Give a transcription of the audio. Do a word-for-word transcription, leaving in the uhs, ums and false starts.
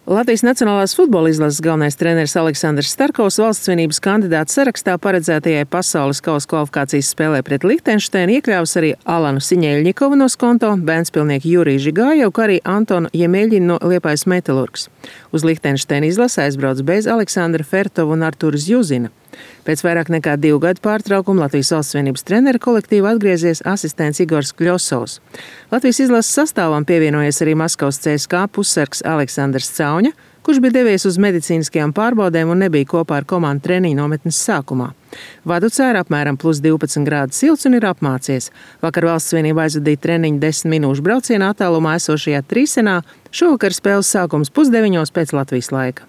Latvijas Nacionālās futbola izlases galvenais treneris Aleksandrs Starkovs valsts svinības kandidātu sarakstā paredzētajai pasaules kausa kvalifikācijas spēlē pret Lihtenšteinu iekļāvis arī Alanu Siņeļņikovu no Skonto, Vēnspilnieku Juriju Žigājevu, kā arī Antonu Jemeļģinu no Liepājas Metalurgs. Uz Lihtenšteinu izlase aizbrauc bez Aleksandra Fertova un Artura Zjuzina. Pēc vairāk nekā divu gadu pārtraukuma Latvijas valsts vienības trenera kolektīva atgriezies asistents Igors Kļosovs. Latvijas izlases sastāvam pievienojies arī Maskavas C S K pussargs Aleksandrs Cauņa, kurš bija devies uz medicīniskajām pārbaudēm un nebija kopā ar komandu treniņu nometnes sākumā. Vadu cēra apmēram plus divpadsmit grādu silts un ir apmācies. Vakar valsts vienība aizvadīja treniņu desmit minūšu brauciena attālumā esošajā Trīsenā. Šovakar spēles sākums pusdeviņos pēc Latvijas laika.